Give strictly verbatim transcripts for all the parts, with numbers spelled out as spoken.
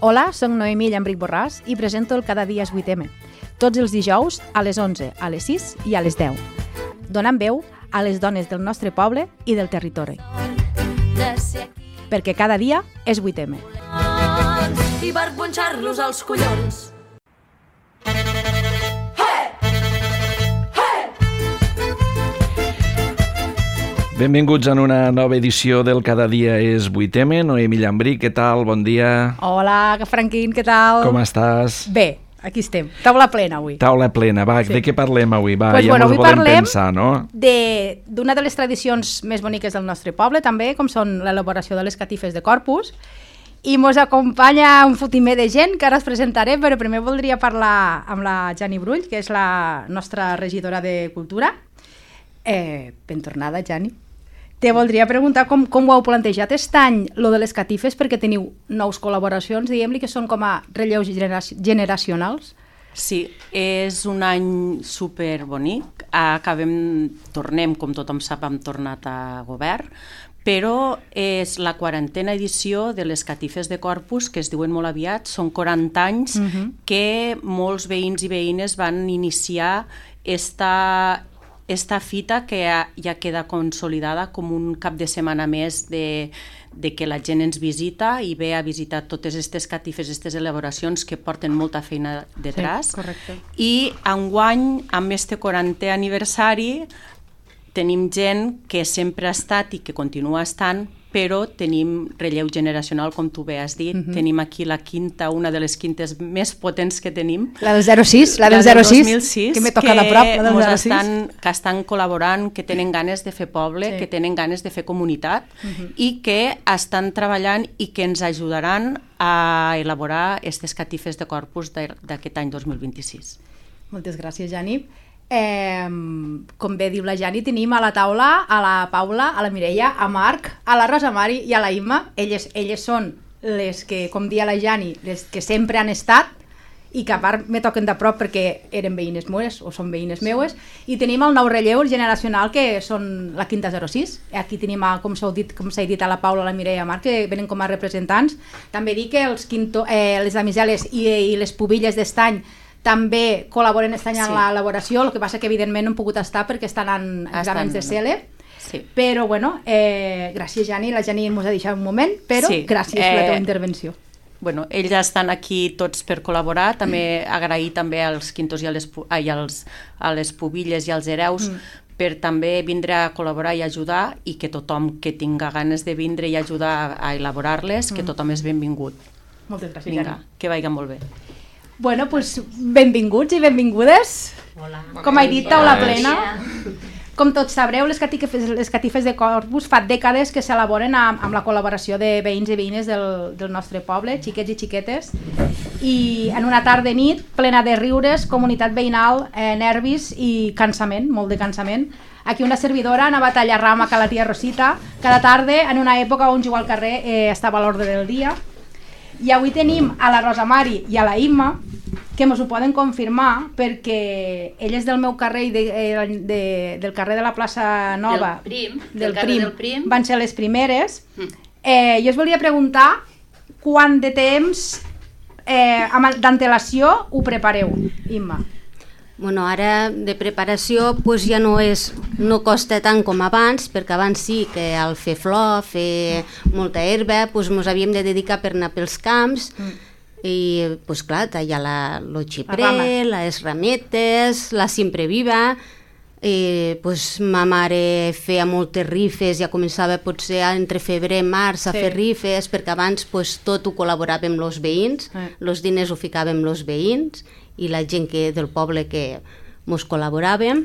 Hola, soc Noemí Llambric Borràs i presento el Cada dia és vuit eme, tots els dijous a les onze, a les sis i a les deu, donant veu a les dones del nostre poble i del territori. Perquè cada dia és vuit eme. I per punxar-los als collons. Benvinguts en una nova edició del Cada dia és vuit eme. Noemí Llambric, què tal? Bon dia. Hola, Franquín, què tal? Com estàs? Bé, aquí estem. Taula plena avui. Taula plena, va, sí. De què parlem avui? Va, pues ja bueno, mos avui volem parlem pensar, no? de- d'una de les tradicions més boniques del nostre poble, també, com són l'elaboració de les catifes de Corpus, i mos acompanya un fotimer de gent que ara es presentaré, però primer voldria parlar amb la Jani Brull, que és la nostra regidora de Cultura. Eh, ben tornada, Jani. Te voldria preguntar com, com ho heu plantejat aquest any, lo de les catifes, perquè teniu nous col·laboracions, diguem-li, que són com a relleus genera- generacionals. Sí, és un any superbonic. Acabem, tornem, com tothom sap, hem tornat a govern, però és la quarantena edició de les catifes de Corpus, que es diuen molt aviat, són quaranta anys uh-huh. que molts veïns i veïnes van iniciar esta... esta fita que ja, ja queda consolidada com un cap de setmana més de, de que la gent ens visita i ve a visitar totes aquestes catifes, aquestes elaboracions que porten molta feina detrás. Sí, correcte. I enguany, amb este quarantè aniversari, tenim gent que sempre ha estat i que continua estant, però tenim relleu generacional, com tu bé has dit. Uh-huh. Tenim aquí la quinta, una de les quintes més potents que tenim. La del zero sis, la del zero sis, dos mil sis, que m'he tocat a prop, la del zero sis. Estan, que estan col·laborant, que tenen ganes de fer poble, sí. que tenen ganes de fer comunitat uh-huh. i que estan treballant i que ens ajudaran a elaborar aquestes catifes de Corpus d'aquest any dos mil vint-i-sis. Moltes gràcies, Jani. Eh, com bé diu la Jani, tenim a la taula a la Paula, a la Mireia, a Marc, a la Rosa Mari i a la Imma. Elles, elles són les que, com dia la Jani, les que sempre han estat i que a part me toquen de prop perquè eren veïnes meues o són veïnes meues, i tenim el nou relleu generacional que són la quinta zero sis. Aquí tenim, a, com s'ha dit, com s'ha dit, a la Paula, a la Mireia i a Marc, que venen com a representants. També dic que els quinto, eh, les damiseles i, i les pubilles d'estany també col·laboren aquest any en sí. l'elaboració, el que passa que evidentment no han pogut estar perquè estan en exàmens de C E L E, sí. però bueno, eh, gràcies Jani, la Jani ens ha deixat un moment, però sí. gràcies eh, per la teva intervenció. Bueno, ells estan aquí tots per col·laborar, també agrair també als quintos i a les, ai, als, a les pubilles i als hereus mm. per també vindre a col·laborar i ajudar, i que tothom que tinga ganes de vindre i ajudar a elaborar-les, mm. que tothom és benvingut. Moltes gràcies, Vinga, Jani. que vagi molt bé. Bueno, doncs benvinguts i benvingudes. Hola. Com he dit, taula plena. Com tots sabreu, les catifes, les catifes de Corpus fa dècades que s'elaboren amb, amb la col·laboració de veïns i veïnes del, del nostre poble, xiquets i xiquetes, i en una tarda nit plena de riures, comunitat veïnal, eh, nervis i cansament, molt de cansament. Aquí una servidora anava a tallar rama a la tia Rosita cada tarda, en una època on jugar al carrer eh, estava a l'ordre del dia. I avui tenim a la Rosa Mari i a la Imma, que mos ho poden confirmar, perquè elles del meu carrer i de, de, del carrer de la plaça Nova, del Prim, del, del Prim, del Prim, van ser les primeres. Eh, jo us volia preguntar quant de temps eh, d'antelació ho prepareu, Imma? Bueno, ara de preparació pues ja no és, no costa tant com abans, perquè abans sí que al fer flor, fer molta herba, pues ens havíem de dedicar per anar pels camps mm. i pues clar, tallar la, lo xiprer, la les rametes, la sempre viva, i pues ma mare feia moltes rifes, ja començava potser entre febrer i març a sí. fer rifes, perquè abans pues, tot ho col·laboràvem amb els veïns, els sí. diners ho ficàvem els veïns i la gent que, del poble que mos col·laboràvem,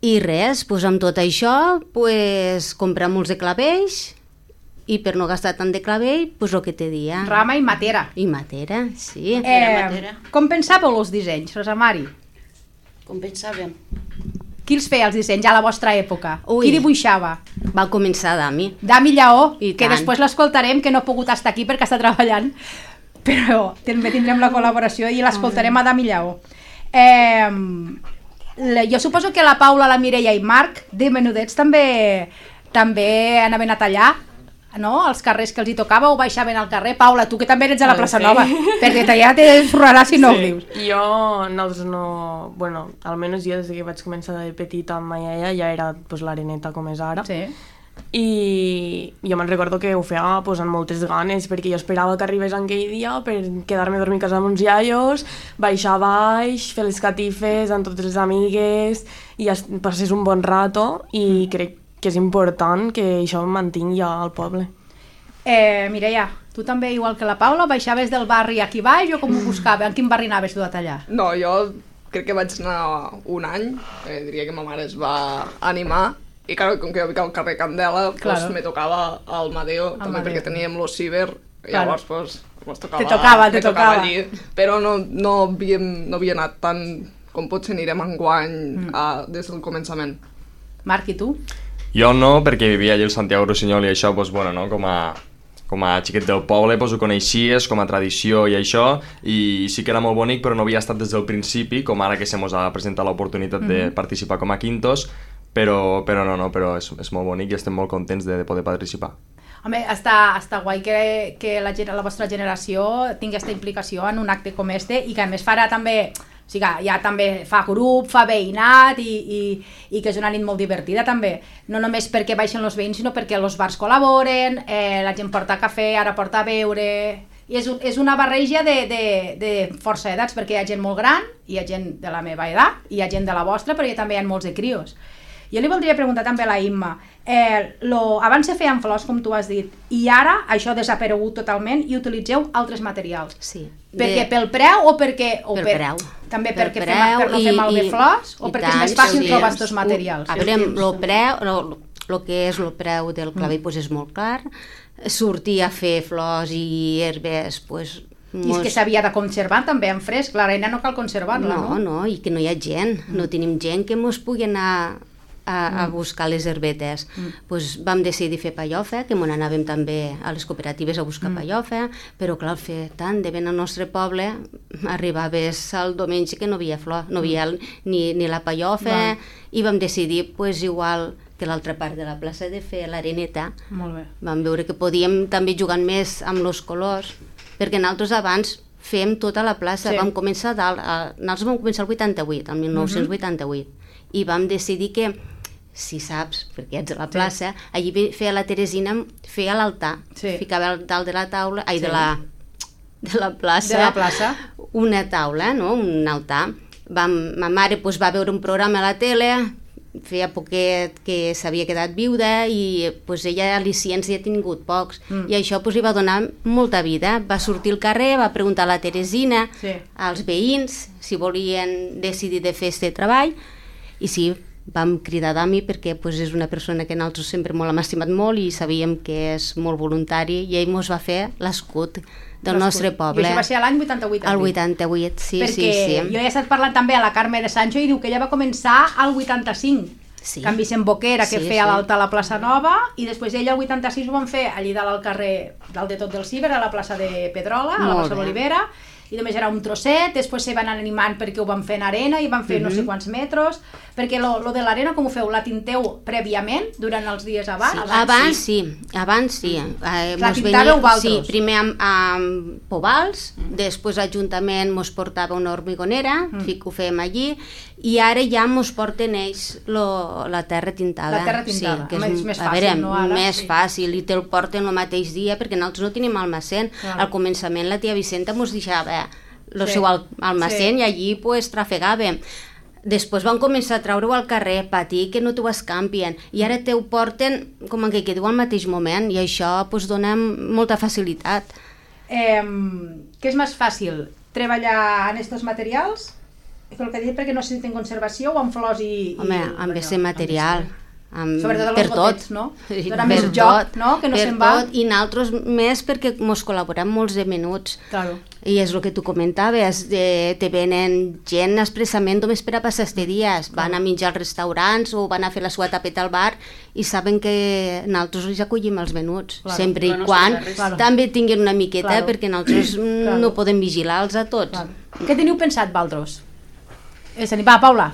i res, pues, amb tot això pues, comprar molts de clavells, i per no gastar tant de clavell, pues, el que te dia. Rama i matera. I matera, sí. Eh, matera. Com pensàveu els dissenys, Rosa Mari? Com pensàvem? Qui els feia els dissenys a la vostra època? Ui. Qui dibuixava? Va començar Dami. Dami Lleó, I que tant. després l'escoltarem, que no ha pogut estar aquí perquè està treballant, però també tindrem la col·laboració i l'escoltarem a Dami Lleó. Eh, jo suposo que la Paula, la Mireia i Marc, de menudets, també també anaven a tallar no? Els carrers que els hi tocava o baixaven al carrer. Paula, tu que també eres a la plaça Sí. Nova, perquè ja te sorrarà si no ho dius. Jo, nosaltres no... Bueno, almenys jo des que vaig començar de petita amb ma iaia ja era pues, l'areneta com és ara. Sí. I jo me'n recordo que ho feia pues, amb moltes ganes, perquè jo esperava que arribés aquell dia per quedar-me a dormir a casa amb uns iaios, baixar baix, fer les catifes amb totes les amigues i passés un bon rato, i crec que és important que això mantingui ja al poble. Eh, Mireia, tu també, igual que la Paula, baixaves del barri aquí baix o com ho buscava? En quin barri anaves tu a tallar? No, jo crec que vaig anar un any, eh, diria que ma mare es va animar, i claro, com que jo vic al carrer Candela, Claro. pues, me tocava al Madeo, Al també Madeo. perquè teníem lo ciber, i Claro. llavors pues, pues, tocava, Te tocava, te me tocava tocava. allí, però no, no, havíem, no havia anat tant com potser anirem enguany mm. a, des del començament. Marc, i tu? Jo no, perquè vivia allà al Santiago Rossinyol i això, doncs, bueno, no? com, a, com a xiquet del poble doncs, ho coneixies com a tradició i això, i sí que era molt bonic, però no havia estat des del principi, com ara que se mos ha presentat l'oportunitat mm-hmm. de participar com a quintos, però, però no, no, però és, és molt bonic i estem molt contents de, de poder participar. Home, està, està guai que, que la, gen- la vostra generació tingui aquesta implicació en un acte com este i que a més farà també, o sigui, ja també fa grup, fa veïnat i, i, i que és una nit molt divertida també, no només perquè baixen els veïns sinó perquè els bars col·laboren, eh, la gent porta cafè, ara porta a beure, i és, un- és una barreja de, de, de força edats, perquè hi ha gent molt gran, hi ha gent de la meva edat, hi ha gent de la vostra, però hi ha, també hi ha molts de crios. Jo li voldria preguntar també a la Imma, eh, lo, abans se feien flors, com tu has dit, i ara això ha desaparegut totalment i utilitzeu altres materials. Sí. Perquè De- pel preu o perquè... O Pel per, preu. També Pel perquè preu fem, per no fer i- malbé i- flors o i perquè és tant, més fàcil sí. trobar aquests materials? A veure, el preu, lo, lo que és el preu del clavell Mm. pues, és molt clar. Sortir a fer flors i herbes, pues, I és que s'havia de conservar també en fresc, l'arena no cal conservar-la, no, no? no, i que no hi ha gent, no tenim gent que mos pugui anar a, a buscar les herbetes. Mm. Pues vam decidir fer pallofa, que m'on anàvem també a les cooperatives a buscar mm. pallofa, però clar, fer tant de ben al nostre poble, arribaves al diumenge que no havia flor, no havia ni, ni la pallofa, Va. i vam decidir, pues, igual que l'altra part de la plaça, de fer l'areneta. Molt bé. Vam veure que podíem també jugar més amb els colors, perquè nosaltres abans fem tota la plaça, Sí. vam començar dalt, a, nosaltres vam començar el vuitanta-vuit, el mil nou-cents vuitanta-vuit, i vam decidir que, si saps, perquè ets a la plaça, sí. allí ve- feia la Teresina, feia l'altar, Sí. ficava al dalt de la taula, ai, Sí. de la de la plaça, De la plaça. una taula, no? Un altar. Vam, ma mare pues, va veure un programa a la tele, feia poquet que s'havia quedat viuda i pues, ella al·licients hi ha tingut pocs, Mm. i això pues, li va donar molta vida. Va sortir al carrer, va preguntar a la Teresina, Sí. als veïns, si volien decidir de fer este treball, i sí, vam cridar d'ami perquè pues, és una persona que nosaltres sempre molt hem estimat molt i sabíem que és molt voluntari, i ell mos va fer l'escut del nostre poble. I això va ser l'any vuitanta-vuit. El vuitanta-vuit, sí, perquè sí, sí. jo he estat parlant també a la Carme de Sancho i diu que ella va començar al vuitanta-cinc, Sí. que en Vicent Boquera, que Sí, feia sí. l'altar a la plaça Nova, i després ella el vuitanta-sis ho van fer allí dalt al carrer, dalt de tot del Ciber, a la plaça de Pedrola, a la Molt plaça bé. d'Olivera, i només era un trosset, després se van animant perquè ho van fer en arena i van fer Mhm. no sé quants metres, perquè lo, lo de l'arena com ho feu? La tinteu prèviament, durant els dies abans? Sí, abans sí, abans sí. Eh, La mos pintàveu venia- vosaltres? Sí, primer amb, amb povals, mm. després l'Ajuntament mos portava una hormigonera, mm. que ho fèiem allí, i ara ja mos porten ells lo, la terra tintada. La terra tintada. Sí, que Home, és, és més a fàcil, veure, no, ara? més Sí. fàcil, i te'l porten el mateix dia, perquè nosaltres no tenim almacén. Claro. Al començament la tia Vicenta mos deixava el Sí. seu al- almacén, Sí. i allí pues, trafegàvem. Després van començar a treure-ho al carrer, patir que no t'ho escampien, i ara te ho porten com que quedeu al mateix moment, i això pues, dona molta facilitat. Eh, què és més fàcil? Treballar en aquests materials? El que he dit, perquè no sé si tenen conservació o amb flors i... Home, i, amb allò, aquest material, amb, Sobretot per els tot. gotets, no? Sí, Dona per més tot, joc, no? Que no per se'n va. tot, i nosaltres més perquè mos col·laborem molts de menuts. Claro. I és el que tu comentaves, de, te venen gent expressament només per a passar este dies, van a menjar als restaurants o van a fer la seva tapeta al bar i saben que nosaltres els acollim els venuts, Claro. sempre i No, no quan sé res. Claro. també tinguin una miqueta, Claro. perquè nosaltres mm, Claro. no podem vigilar-los a tots. Clar. Què teniu pensat, Valdros? És a dir, va, Paula.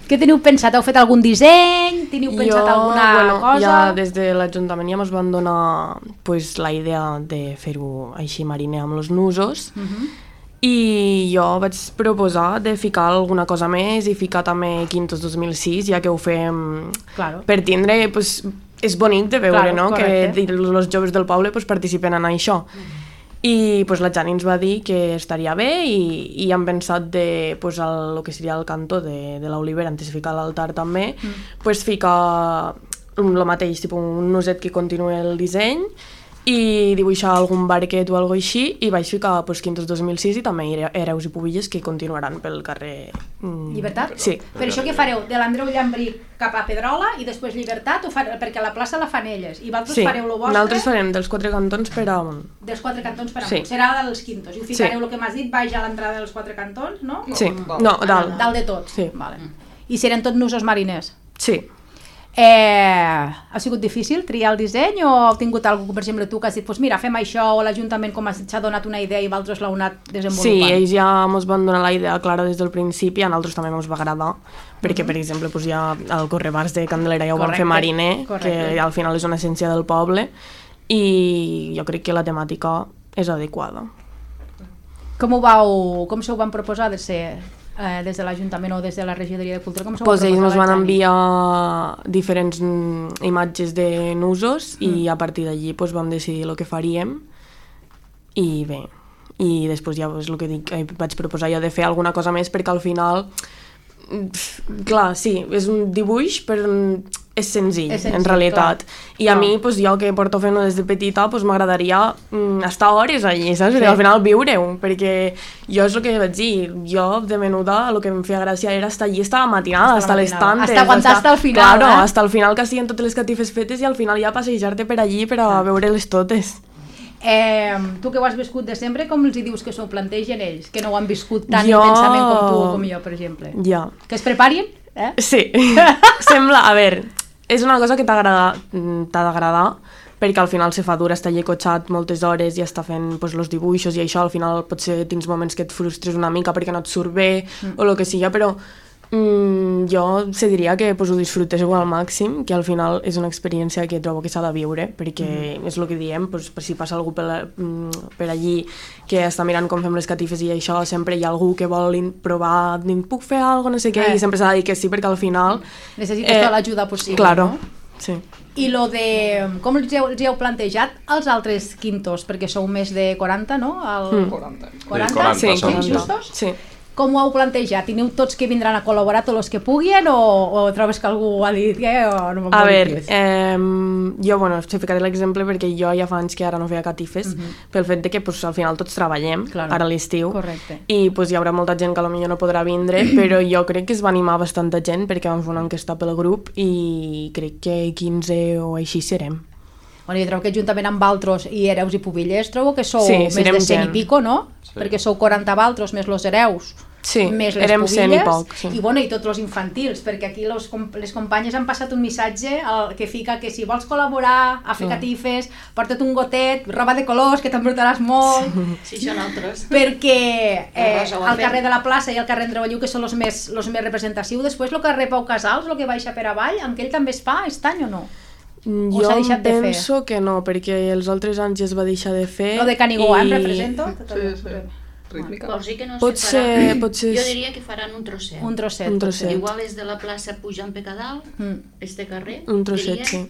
Què teniu pensat? Heu fet algun disseny? Teniu pensat jo, alguna bueno, cosa? Ja des de l'Ajuntament ja ens van donar pues, la idea de fer-ho així mariner amb els nusos, uh -huh. i jo vaig proposar de ficar alguna cosa més i ficar també Quintos dos mil sis, ja que ho fem claro. per tindre... Pues, és bonic de veure, claro, no?, correcte. que els joves del poble pues, participen en això. I pues, la Jani ens va dir que estaria bé i, i hem pensat de, pues, el, el que seria el cantó de, de l'olivera, antes de ficar l'altar també, mm. pues, ficar el mateix, tipus, un nuset que continuï el disseny i dibuixar algun barquet o alguna així, i vaig ficar pues, Quintos dos mil sis i també Hereus i Pubilles que continuaran pel carrer... Mm, Llibertat? Sí. Per això què fareu? De l'Andreu Llambrí cap a Pedrola i després Llibertat? O fa... Perquè la plaça la fan elles i vosaltres sí. fareu lo vostre? Nosaltres farem dels quatre cantons per amunt. Dels quatre cantons per sí. amunt. Serà dels Quintos. I ho ficareu sí. el que m'has dit, baix a l'entrada dels quatre cantons, no? Sí, no, dalt. Dalt de tot? Sí. Vale. I seran tots nusos mariners? Sí. Eh, ha sigut difícil triar el disseny o heu tingut algú, per exemple, tu que has dit pues mira, fem això, o l'Ajuntament com has dit s'ha donat una idea i vosaltres l'heu anat desenvolupant? Sí, ells ja ens van donar la idea clara des del principi, a nosaltres també ens va agradar, perquè, per exemple, pues, ja el Correbars de Candelera ja ho van fer mariner, correcte. Que al final és una essència del poble, i jo crec que la temàtica és adequada. Com ho vau, com se ho van proposar de ser... Eh, des de l'Ajuntament o des de la Regidoria de Cultura? Com pues ells ens van enviar diferents imatges de nusos mm. i a partir d'allí pues, vam decidir el que faríem i bé, i després ja és el que dic, vaig proposar jo de fer alguna cosa més perquè al final clar, sí, és un dibuix però és senzill, és senzill en realitat clar. I a no. mi, pues, jo que porto fent-ho des de petita pues, m'agradaria mm, estar hores allí, saps? Sí. Al final viure-ho, perquè jo és el que vaig dir, jo de menuda el que em feia gràcia era estar allí, estar a la matinada, estar a les tantes, hasta aguantar hasta el final, claro, eh? hasta el final que estiguin totes les catifes fetes i al final ja passejar-te per allí per a veure-les totes. Eh, tu que ho has viscut de sempre, com els hi dius que s'ho plantegen ells, que no ho han viscut tan jo... intensament com tu o com jo, per exemple? Ja. Que es preparin? Eh? Sí, sembla, a veure, és una cosa que t'ha d'agradar, perquè al final se fa dur estar allà cotxat moltes hores i estar fent pues, els dibuixos i això, al final potser tens moments que et frustres una mica perquè no et surt bé mm. o el que sigui, però mm, jo se diria que pues, ho disfruteu al màxim, que al final és una experiència que trobo que s'ha de viure, perquè mm. és el que diem, pues, per si passa algú per, per allí que està mirant com fem les catifes i això, sempre hi ha algú que vol provar, puc fer alguna cosa, no sé què, eh. i sempre s'ha de dir que sí, perquè al final... Necessites eh, tota l'ajuda possible, claro, no? Sí. I lo de... Com els heu, els heu plantejat els altres quintos? Perquè sou més de quaranta, no? El... Mm. quaranta. quaranta? quaranta, sí, som, justos? Sí. Com ho heu plantejat? Teniu tots que vindran a col·laborar, tots els que puguin, o, o trobes que algú ha dit que o no a veure, eh, jo, bueno, te ficaré l'exemple perquè jo ja fa anys que ara no feia catifes, uh -huh. pel fet de que pues, al final tots treballem, claro. Ara a l'estiu, i pues, hi haurà molta gent que potser no podrà vindre, però jo crec que es va animar bastanta gent perquè vam fer una enquesta pel grup i crec que quinze o així serem. Bueno, jo trobo que juntament amb Valtros i Hereus i Pubilles trobo que sou sí, més de cent gent. I pico, no? Sí. Perquè sou quaranta Valtros més los Hereus, sí, més les érem Pubilles cent i poc, sí. I, bueno, i tots els infantils, perquè aquí los, les companyes han passat un missatge el, que fica que si vols col·laborar a fer sí. catifes, porta't un gotet, roba de colors, que t'emportaràs molt. Sí, són altres. Perquè eh, al carrer de la plaça i al carrer Andreu Alliu, que són els més, los més representatius, després el carrer Pau Casals, el que baixa per avall, en què ell també es fa, estany o no? Jo penso que no, perquè els altres anys ja es va deixar de fer. Lo de Canigó, i... em represento? Sí, sí. Rítmica. Vols dir que no pot se ser, faran? pot ser... Jo diria que faran un trosset. Un trosset. Un trosset. Igual és de la plaça pujant pe Cadal, mm. este carrer. Un trosset, diria... sí.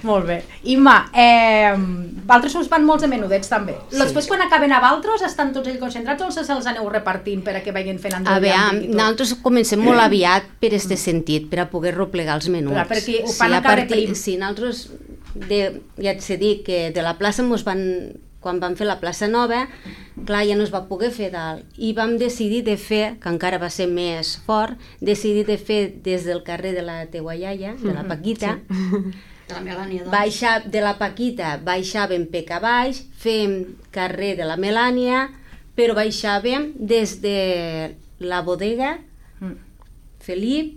Molt bé. Imma, eh, Valtros us van molts de menudets també. Sí. Després quan acaben a Valtros estan tots ells concentrats o se'ls aneu repartint per a que vagin fent Andreu? A veure, nosaltres comencem molt aviat per este sentit, per a poder replegar els menuts. Clar, perquè ho fan sí, a cada prim. Sí, nosaltres, de, ja et sé dir que de la plaça mos van... quan vam fer la plaça nova, clar, ja no es va poder fer dalt, i vam decidir de fer, que encara va ser més fort, decidir de fer des del carrer de la teua iaia, de la Paquita, sí. de la Melània, doncs. Baixa, de la Paquita baixàvem pe baix, fem carrer de la Melània, però baixàvem des de la bodega, Felip,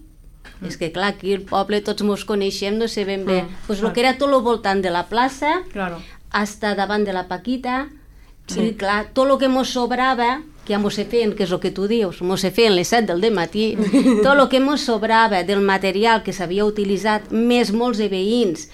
mm. és que clar, aquí el poble tots mos coneixem, no sé ben bé, mm. pues el que era tot el voltant de la plaça, claro. hasta davant de la Paquita, sí. I clar, tot el que mos sobrava, que ja mos se feien, que és el que tu dius, mos se feien les set del dematí, tot el que mos sobrava del material que s'havia utilitzat, més molts de veïns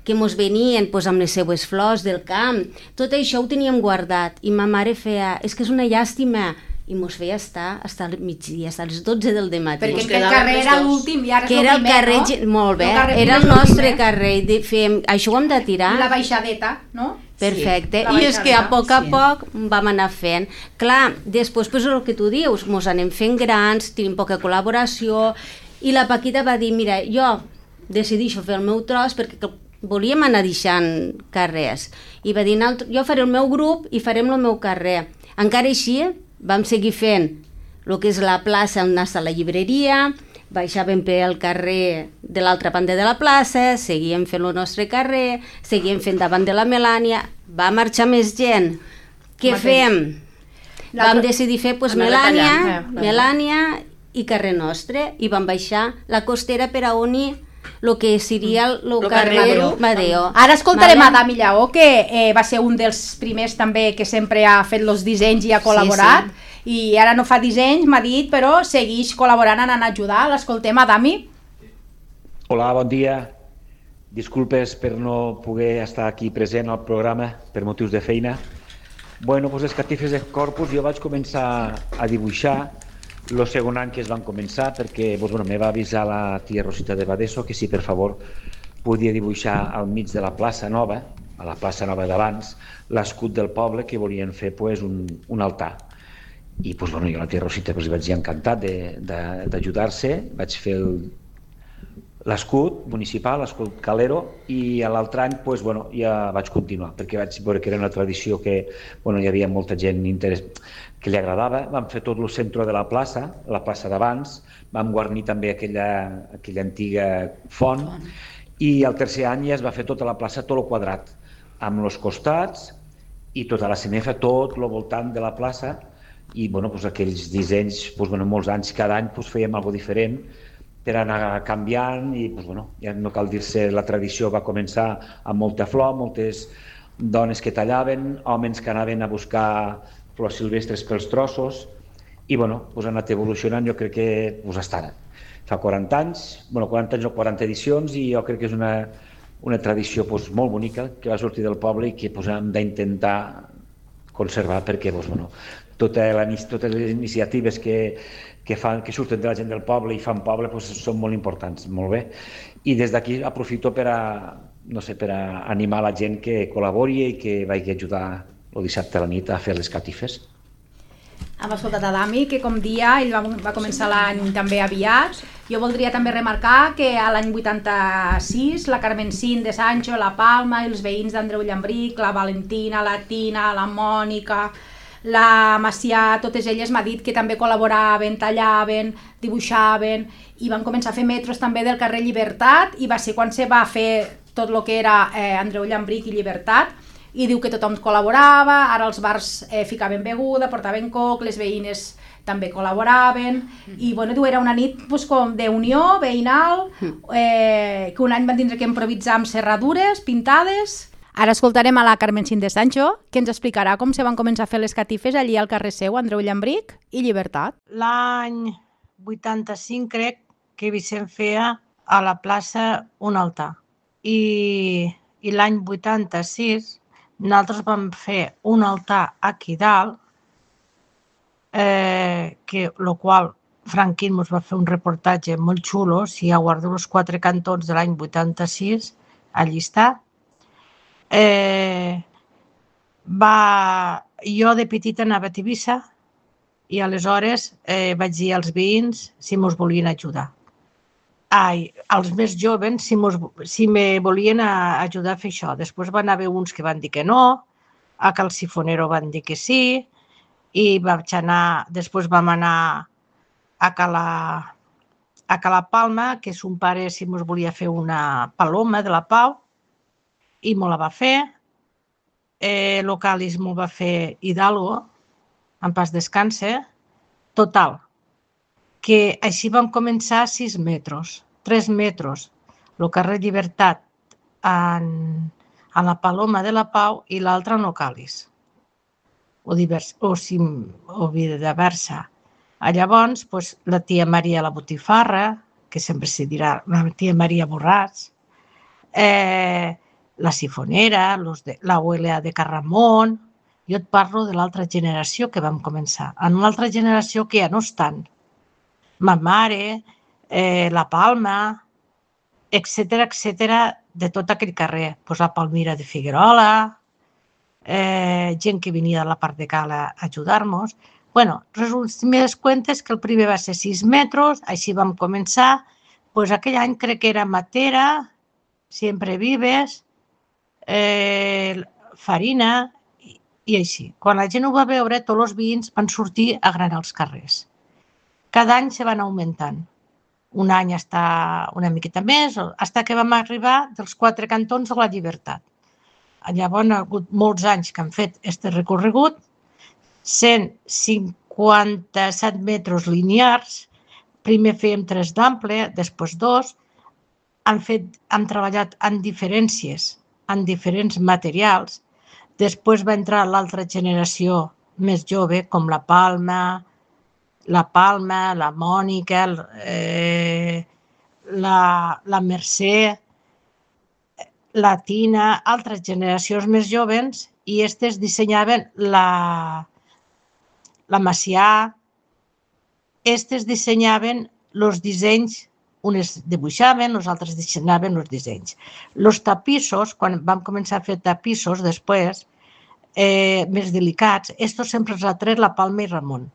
que mos venien pues, amb les seues flors del camp, tot això ho teníem guardat i ma mare feia, és que és una llàstima, i mos feia estar fins al migdia, fins a les dotze del dematí. Perquè el carrer era l'últim i ara és que el era el primer, carrer, no? molt bé, El carrer era el primer és el nostre primer. carrer, de, fèiem, això ho hem de tirar. I la baixadeta, no? Perfecte, Sí, i és que a poc a sí. poc vam anar fent. Clar, després, pues, el que tu dius, mos anem fent grans, tenim poca col·laboració, i la Paquita va dir, mira, jo decidixo fer el meu tros perquè volíem anar deixant carrers. I va dir, jo faré el meu grup i farem el meu carrer. Encara així, vam seguir fent el que és la plaça on està la llibreria, baixàvem pel carrer de l'altra banda de la plaça, seguíem fent el nostre carrer, seguíem fent davant de la Melània, va marxar més gent. Què fem? Vam decidir fer pues, Melània, eh, Melània i carrer nostre, i vam baixar la costera per a unir el que seria el, el carrer Madeo. Madeo. Ara escoltarem vale? a Dami Lleó, que eh, va ser un dels primers també que sempre ha fet els dissenys i ha col·laborat, sí, sí. I ara no fa dissenys, m'ha dit, però segueix col·laborant, anant a ajudar. L'escoltem a Dami. Hola, bon dia. Disculpes per no poder estar aquí present al programa per motius de feina. Bueno, doncs les catifes de Corpus jo vaig començar a dibuixar el segon any que es van començar, perquè doncs, bueno, me va avisar la tia Rosita de Badeso que si per favor podia dibuixar al mig de la plaça Nova, a la plaça Nova d'abans, l'escut del poble, que volien fer pues, un, un altar. I doncs, bueno, jo a la tia Rosita doncs, vaig dir encantat d'ajudar-se, vaig fer l'escut municipal, l'escut Calero, i l'altre any doncs, bueno, ja vaig continuar, perquè vaig veure que era una tradició que bueno, hi havia molta gent interès, que li agradava. Vam fer tot el centre de la plaça, la plaça d'abans, vam guarnir també aquella, aquella antiga font, i el tercer any ja es va fer tota la plaça, tot el quadrat, amb els costats i tota la cenefa, tot el voltant de la plaça, i bueno, doncs aquells dissenys, doncs, bueno, molts anys, cada any doncs, fèiem alguna cosa diferent per anar canviant i doncs, bueno, ja no cal dir-se, la tradició va començar amb molta flor, moltes dones que tallaven, homes que anaven a buscar flors silvestres pels trossos i bueno, doncs ha anat evolucionant, jo crec que doncs, està ara. Fa quaranta anys, bueno, quaranta anys o quaranta edicions i jo crec que és una, una tradició doncs, molt bonica que va sortir del poble i que doncs, hem d'intentar conservar perquè doncs, bueno, totes les iniciatives que, que, fan, que surten de la gent del poble i fan poble doncs, són molt importants, molt bé. I des d'aquí aprofito per a, no sé, per a animar la gent que col·labori i que vagi a ajudar el dissabte a la nit a fer les catifes. Hem escoltat a Dami, que com dia ell va, va començar l'any també aviat. Jo voldria també remarcar que a l'any vuitanta-sis la Carmencín de Sancho, la Palma i els veïns d'Andreu Llambric, la Valentina, la Tina, la Mònica, la Macià, totes elles m'ha dit que també col·laboraven, tallaven, dibuixaven i van començar a fer metros també del carrer Llibertat i va ser quan se va fer tot el que era eh, Andreu Llambric i Llibertat i diu que tothom col·laborava, ara els bars eh, ficaven beguda, portaven coc, les veïnes també col·laboraven i bueno, diu, era una nit pues, com d'unió veïnal, eh, que un any van tindre que improvisar amb serradures pintades. Ara escoltarem a la Carmencín de Sancho, que ens explicarà com se van començar a fer les catifes allí al carrer seu, Andreu Llambric i Llibertat. L'any vuitanta-cinc crec que Vicent feia a la plaça un altar i, i l'any vuitanta-sis nosaltres vam fer un altar aquí dalt, eh, que el qual Franquín ens va fer un reportatge molt xulo, si ja guardo els quatre cantons de l'any vuitanta-sis, allí està. Eh, va... Jo de petita anava a Tivissa i aleshores eh, vaig dir als veïns si mos volien ajudar. Ai, els més joves si, mos, si me volien a ajudar a fer això. Després van haver uns que van dir que no, a Cal Sifonero van dir que sí, i vaig anar, després vam anar a Cala, a Cala Palma, que son pare si mos volia fer una paloma de la Pau, i me la va fer. Eh, Localis m'ho va fer Hidalgo, en pas descanse. Total, que així vam començar a sis metres, tres metres, el carrer Llibertat en, en la Paloma de la Pau i l'altre en Localis. o, divers, o, sim, o viceversa. Llavors, pues, la tia Maria la Botifarra, que sempre se dirà la tia Maria Borràs, eh, la Sifonera, los de, la U L A de Carramon. Jo et parlo de l'altra generació que vam començar. En una altra generació que ja no estan. Ma mare, eh, la Palma, etcètera, etcètera, de tot aquell carrer. Pues la Palmira de Figuerola, eh, gent que venia de la part de Cala a ajudar-nos. Bueno, resumides cuentes que el primer va ser sis metres, així vam començar. Pues aquell any crec que era Matera, Siempre Vives, eh, Farina i, i així. Quan la gent ho va veure, tots els veïns van sortir a granar els carrers. Cada any se van augmentant. Un any està una miqueta més, fins que vam arribar dels quatre cantons a la Llibertat. Llavors, hi ha hagut molts anys que han fet aquest recorregut, cent cinquanta-set metres linears, primer fèiem tres d'ample, després dos, han, fet, han treballat en diferències, en diferents materials, després va entrar l'altra generació més jove, com la Palma, la Palma, la Mònica, eh, la, la Mercè, la Tina, altres generacions més joves, i aquestes dissenyaven la, la Macià, aquestes dissenyaven els dissenys, unes dibuixaven, els altres dissenyaven els dissenys. Els tapissos, quan vam començar a fer tapissos després, eh, més delicats, estos sempre els ha tret la Palma i Ramon.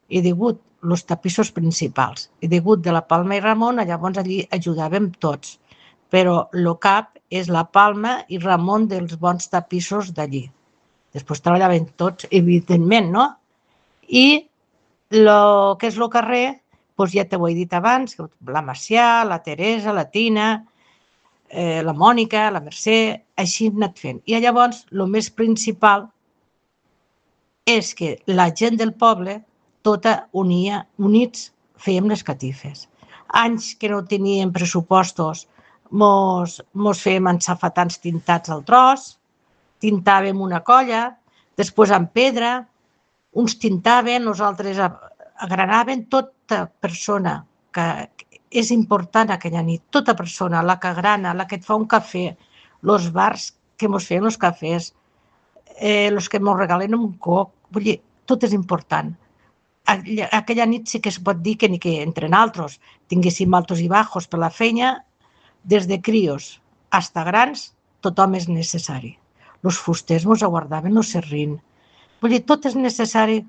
He degut els tapissos principals. He degut de la Palma i Ramon, llavors allí ajudàvem tots. Però el cap és la Palma i Ramon dels bons tapissos d'allí. Després treballaven tots, evidentment, no? I el que és el carrer, doncs ja t'ho he dit abans, la Macià, la Teresa, la Tina, eh, la Mònica, la Mercè, així hem anat fent. I llavors, el més principal és que la gent del poble, tota unia, units, fèiem les catifes. Anys que no teníem pressupostos, mos, mos fèiem ensafatants tintats al tros, tintàvem una colla, després amb pedra, uns tintaven, nosaltres agranaven. Tota persona que és important aquella nit, tota persona, la que agrana, la que et fa un cafè, els bars que mos feien els cafès, eh, els que mos regalen un coc, vull dir, tot és important. Aquella nit sí que es pot dir que ni que entre nosaltres tinguéssim altos i bajos per la feina, des de crios fins a grans, tothom és necessari. Els fusters mos aguardaven el serrín. Vull dir, tot és necessari.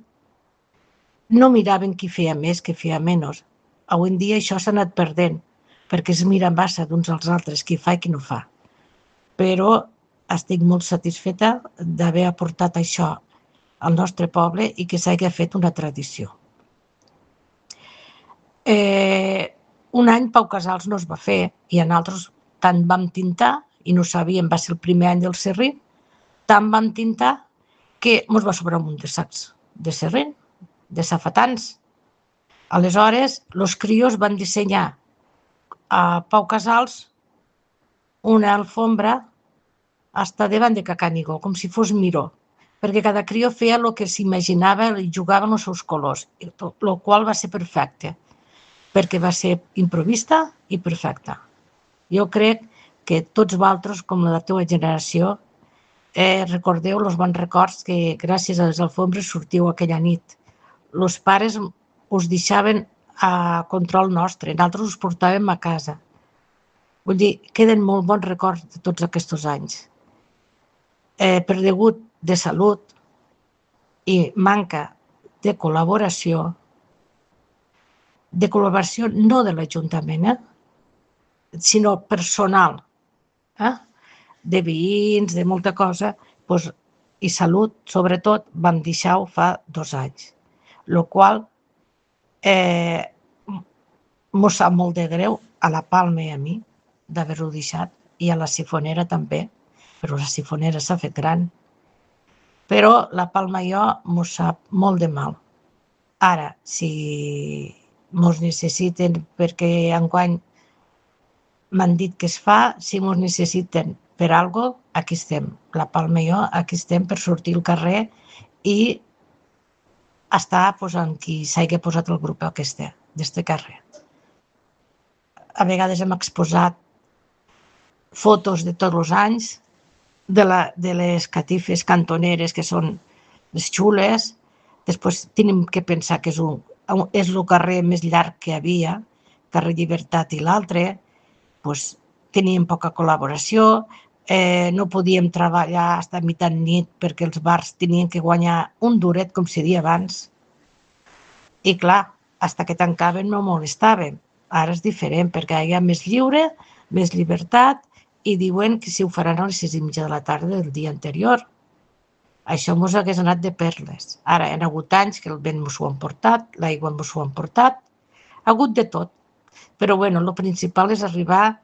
No miraven qui feia més, qui feia menys. Avui en dia això s'ha anat perdent, perquè es mira massa d'uns als altres, qui fa i qui no fa. Però estic molt satisfeta d'haver aportat això al nostre poble i que s'hagi fet una tradició. Eh, un any Pau Casals no es va fer i nosaltres tant vam tintar, i no sabíem, va ser el primer any del serrín, tant vam tintar que ens va sobrar un munt de sacs de serrín, de safatans. Aleshores, els crios van dissenyar a Pau Casals una alfombra hasta davant de Cacanigó, com si fos miró, perquè cada crió feia el que s'imaginava i jugava amb els seus colors, el qual va ser perfecte, perquè va ser improvista i perfecta. Jo crec que tots vosaltres, com la teva generació, eh, recordeu els bons records que gràcies a les alfombres sortiu aquella nit. Els pares us deixaven a control nostre, nosaltres us portàvem a casa. Vull dir, queden molt bons records de tots aquests anys. Eh, per degut de salut i manca de col·laboració, de col·laboració no de l'Ajuntament, eh, sinó personal, eh, de veïns, de molta cosa, doncs, i salut, sobretot, vam deixar-ho fa dos anys. El qual eh, mos sap molt de greu a la Palma i a mi d'haver-ho deixat, i a la Sifonera també, però la Sifonera s'ha fet gran. Però la Palma i jo mos sap molt de mal. Ara, si mos necessiten, perquè enguany m'han dit que es fa, si mos necessiten per alguna cosa, aquí estem. La Palma i jo aquí estem per sortir al carrer i està pues, en qui s'hagi posat el grup aquest, d'este carrer. A vegades hem exposat fotos de tots els anys, de, la, de les catifes cantoneres, que són les xules. Després tenim que pensar que és, un, és el carrer més llarg que hi havia, carrer Llibertat i l'altre. Pues, teníem poca col·laboració, eh, no podíem treballar fins a mitjan nit perquè els bars tenien que guanyar un duret, com se deia abans. I clar, fins que tancaven no molestaven. Ara és diferent perquè hi ha més lliure, més llibertat, i diuen que si ho faran a les sis i mitja de la tarda del dia anterior. Això mos hagués anat de perles. Ara, hi ha hagut anys que el vent mos ho han portat, l'aigua mos ho han portat, ha hagut de tot. Però bueno, el principal és arribar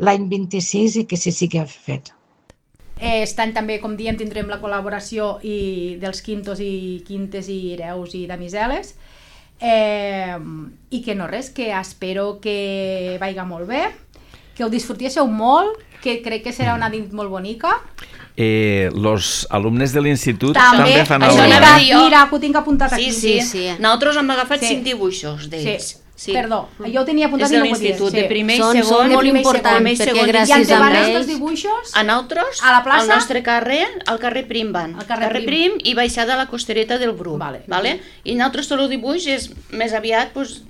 l'any vint-i-sis i que se sigui fet. Eh, estan també, com diem, tindrem la col·laboració i dels quintos i quintes i hereus i damiseles. Eh, I que no res, que espero que vaiga molt bé, que ho disfrutéssiu molt, que crec que serà una nit molt bonica. Eh, los alumnes de l'institut també, també fan això alguna mira, cosa. mira, que ho tinc apuntat aquí. Sí, sí, sí. Nosaltres hem agafat Sí. cinc dibuixos d'ells. Sí. Sí. Perdó, jo ho tenia apuntat és i de no ho podia. l'institut, de primer i Són- segon. són de molt primer i importants, segon, primer i perquè segon. gràcies I en a davant ells- dels dibuixos, A nosaltres, A la plaça? al nostre carrer, al carrer Prim van. Al carrer carrer Prim. Prim i baixada a la costereta del Bruc. Vale. Vale? I nosaltres tot el dibuix és més aviat pues,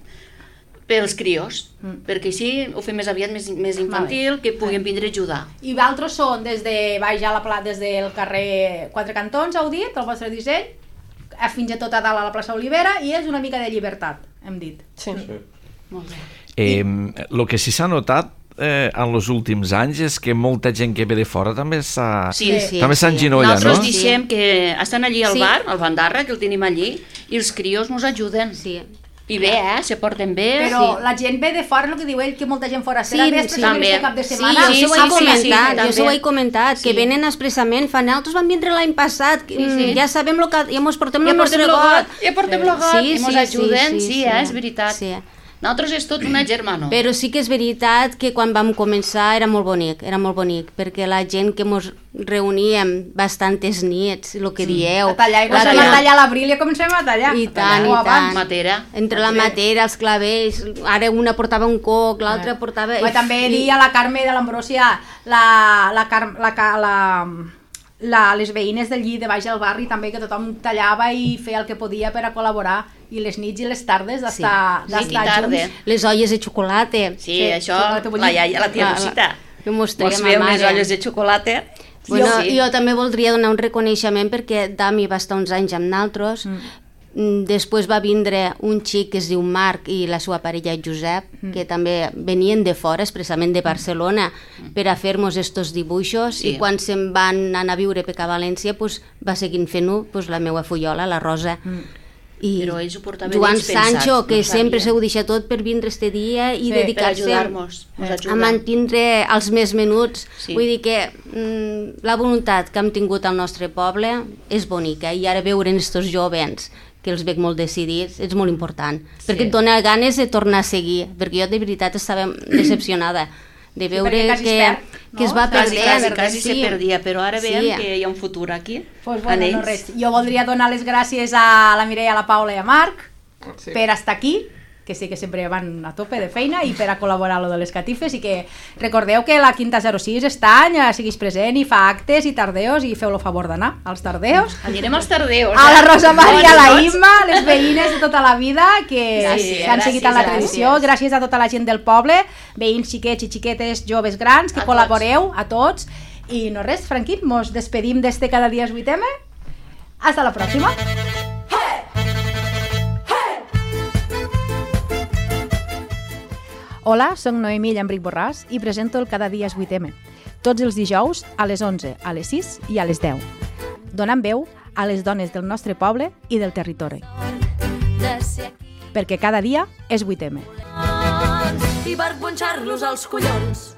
pels crios, Mm. perquè així ho fem més aviat més, més infantil, que puguin vindre a ajudar. i d'altres són des de baix a la plaça, des del carrer Quatre Cantons, heu dit, el vostre disseny, fins a tot a dalt a la plaça Olivera, i és una mica de llibertat, hem dit. Sí. Molt bé. Eh, el que sí s'ha notat eh, en els últims anys és que molta gent que ve de fora també s'ha Sí, sí, també sí. s'enginolla, Nosaltres no? diem que estan allí al Sí. bar, al Bandarra, que el tenim allí, i els crios ens ajuden. Sí. I bé, eh? Se porten bé. Però Sí. la gent ve de fora, el que diu ell, que molta gent fora Sí, serà, ve sí. expressament També. este cap de Sí, setmana. jo sí, s'ho he sí, sí, comentat, sí, jo s'ho també. he comentat, que Sí. venen expressament, fan altres van vindre l'any passat, Sí, sí. ja sabem lo que, ja mos portem Ja el portem nostre logot, got. ja portem logot, i mos ajuden, sí, eh, és sí. veritat. Sí. Nosaltres és tot una germana. Però sí que és veritat que quan vam començar era molt bonic, era molt bonic, perquè la gent que mos reuníem bastantes nits, el que dieu... A tallar, i la comencem tia- a tallar l'abril i comencem a tallar. I tant, O i abans. tant. Matera. Entre la matera, els clavells, ara una portava un coc, l'altra portava... Però també dir a la Carme de l'Ambrosia, la, la, Car la, la, la, la, les veïnes del llit de baix del barri també, que tothom tallava i feia el que podia per a col·laborar, i les nits i les tardes d'estar Sí. Nit i d'estar tarda. junts. Les olles de xocolata. Sí, Sí, això, xocolata bullit. la iaia, la tia La- Rosita. que mos traiem Mos a feia unes mare. olles de xocolata. Bueno, sí. jo també voldria donar un reconeixement perquè Dami va estar uns anys amb naltros. Mm. Després va vindre un xic que es diu Marc i la seva parella Josep, mm. que també venien de fora, expressament de Barcelona, mm. per a fer-nos estos dibuixos, Sí. i quan se'n van anar a viure per a València pues, va seguint fent-ho pues, la meva fullola, la Rosa. Mm. I Però ells ho portaven Joan ells pensat, Sancho, que no sempre sabien. s'ho deixa tot per vindre este dia i Sí, Per dedicar-se ajudar-nos, ens a ajuden. mantindre els més menuts. Sí. Vull dir que mm, la voluntat que hem tingut al nostre poble és bonica, i ara veure estos jovens que els veig molt decidits és molt important, Sí. perquè et dona ganes de tornar a seguir, perquè jo de veritat estava decepcionada de veure perquè quasi que, es perd, que es no? va Quasi, perdent. quasi, quasi sí. se perdia, però ara veiem Sí. que hi ha un futur aquí, Pues en bueno, ells. no res. Jo voldria donar les gràcies a la Mireia, a la Paula i a Marc Sí. per estar aquí, que sé que sempre van a tope de feina, i per a col·laborar a lo de les catifes, i que recordeu que la Quinta zero sis està any, eh, segueix present i fa actes i tardeos, i feu el favor d'anar als tardeos. Anirem als tardeus. A la eh? Rosa Maria, a la Tots. Imma, les veïnes de tota la vida que Gràcies, han seguit en la gràcies, tradició, gràcies a tota la gent del poble, veïns xiquets i xiquetes, joves grans, que A col·laboreu, a tots. I no res, Franquín, mos despedim d'este Cada dia es vuit eme. Hasta la pròxima. Hola, soc Noemí Llambric Borràs i presento el Cada dia es vuit eme. Tots els dijous a les onze, a les sis i a les deu. Donant veu a les dones del nostre poble i del territori. Perquè cada dia és vuit eme. I per punxar-los als collons.